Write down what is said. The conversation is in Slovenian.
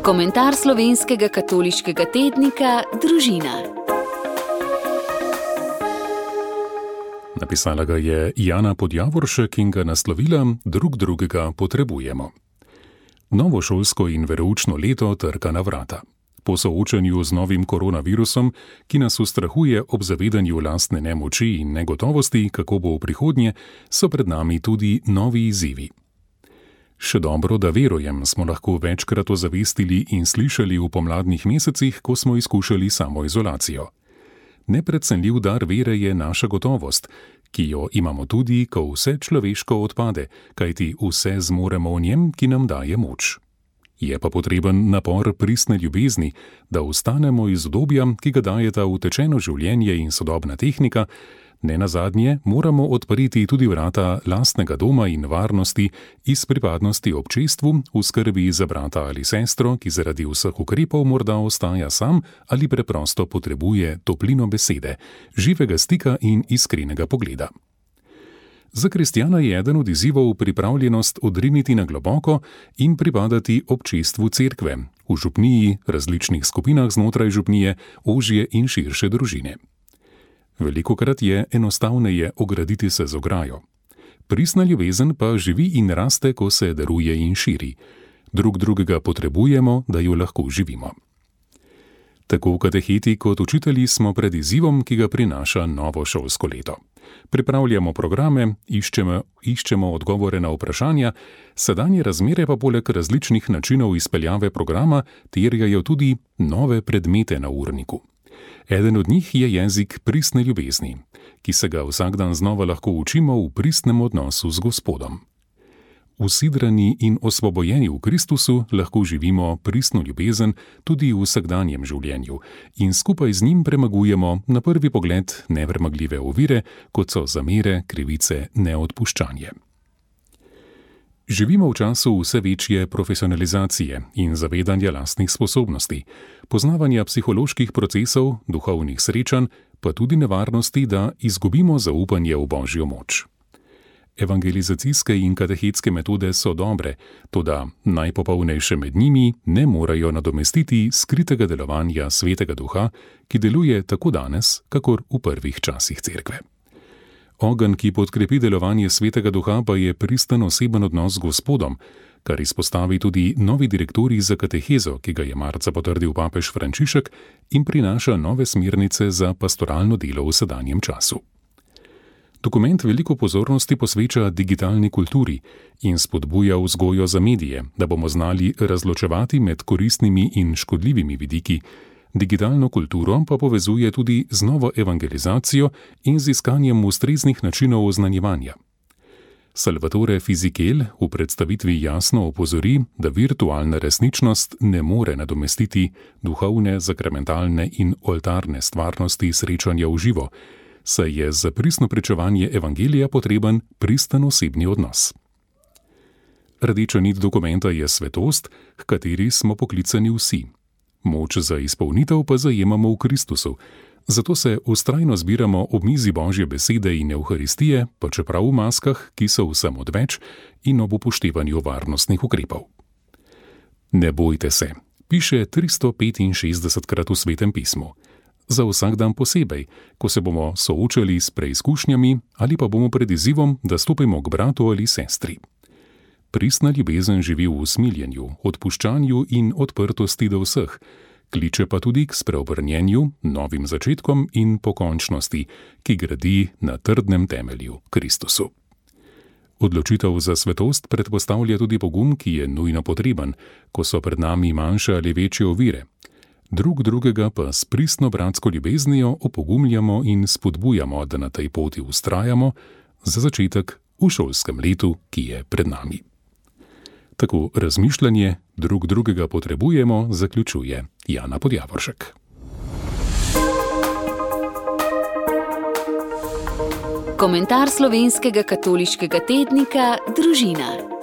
Komentar slovenskega katoliškega tednika Družina. Napisala ga je Jana Podjavoršek in ga naslovila Drug drugega potrebujemo. Novo šolsko in veroučno leto trka na vrata. Po soočanju z novim koronavirusom, ki nas ustrahuje ob zavedanju lastne nemoči in negotovosti, kako bo v prihodnje, so pred nami tudi novi izzivi. Še dobro, da verujem, smo lahko večkrat ozavestili in slišali v pomladnih mesecih, ko smo izkušali samoizolacijo. Neprecenljiv dar vere je naša gotovost, ki jo imamo tudi, ko vse človeško odpade, kajti vse zmoremo v njem, ki nam daje moč. Je pa potreben napor pristne ljubezni, da ustanemo iz obdobja, ki ga dajeta utečeno življenje in sodobna tehnika. Nenazadnje moramo odpreti tudi vrata lastnega doma in varnosti iz pripadnosti občestvu v skrbi za brata ali sestro, ki zaradi vseh ukrepov morda ostaja sam ali preprosto potrebuje toplino besede, živega stika in iskrenega pogleda. Za kristjana je eden od izzivov pripravljenost odriniti na globoko in pripadati občestvu cerkve, v župniji, različnih skupinah znotraj župnije, ožje in širše družine. Velikokrat je enostavneje ograditi se z ograjo. Pristna ljubezen pa živi in raste, ko se daruje in širi. Drug drugega potrebujemo, da jo lahko živimo. Tako kateheti kot učitelji smo pred izzivom, ki ga prinaša novo šolsko leto. Pripravljamo programe, iščemo odgovore na vprašanja, sedanje razmere pa poleg različnih načinov izpeljave programa terjajo tudi nove predmete na urniku. Eden od njih je jezik pristne ljubezni, ki se ga vsak dan znova lahko učimo v pristnem odnosu z Gospodom. Usidrani in osvobojeni v Kristusu lahko živimo pristno ljubezen tudi v vsakdanjem življenju in skupaj z njim premagujemo na prvi pogled nepremagljive ovire, kot so zamere, krivice, neodpuščanje. Živimo v času vse večje profesionalizacije in zavedanja lastnih sposobnosti, poznavanja psiholoških procesov, duhovnih srečanj, pa tudi nevarnosti, da izgubimo zaupanje v Božjo moč. Evangelizacijske in katehetske metode so dobre, toda najpopolnejše med njimi ne morejo nadomestiti skritega delovanja Svetega Duha, ki deluje tako danes, kakor v prvih časih cerkve. Ogenj, ki podkrepi delovanje Svetega Duha, pa je pristen oseben odnos z Gospodom, kar izpostavi tudi novi direktorij za katehezo, ki ga je marca potrdil papež Frančišek in prinaša nove smernice za pastoralno delo v sedanjem času. Dokument veliko pozornosti posveča digitalni kulturi in spodbuja vzgojo za medije, da bomo znali razločevati med koristnimi in škodljivimi vidiki. Digitalno kulturo pa povezuje tudi z novo evangelizacijo in z iskanjem ustreznih načinov oznanjevanja. Salvatore Fisichel v predstavitvi jasno opozori, da virtualna resničnost ne more nadomestiti duhovne, sakramentalne in oltarne stvarnosti srečanja v živo, saj je za pristno pričevanje evangelija potreben pristen osebni odnos. Rdeča nit dokumenta je svetost, h kateri smo poklicani vsi. Moč za izpolnitev pa zajemamo v Kristusu, zato se vztrajno zbiramo ob mizi Božje besede in Evharistije, pa čeprav v maskah, ki so vsem odveč, in ob upoštevanju varnostnih ukrepov. Ne bojte se, piše 365krat v Svetem pismu. Za vsak dan posebej, ko se bomo soočali s preizkušnjami ali pa bomo pred izzivom, da stopimo k bratu ali sestri. Pristna ljubezen živi v usmiljenju, odpuščanju in odprtosti do vseh, kliče pa tudi k spreobrnjenju, novim začetkom in pokončnosti, ki gradi na trdnem temelju, Kristusu. Odločitev za svetost predpostavlja tudi pogum, ki je nujno potreben, ko so pred nami manjše ali večje ovire. Drug drugega pa s pristno bratsko ljubeznijo opogumljamo in spodbujamo, da na tej poti vztrajamo, za začetek v šolskem letu, ki je pred nami. Tako razmišljanje drug drugega potrebujemo, zaključuje Jana Podjavoršek. Komentar slovenskega katoliškega tednika Družina.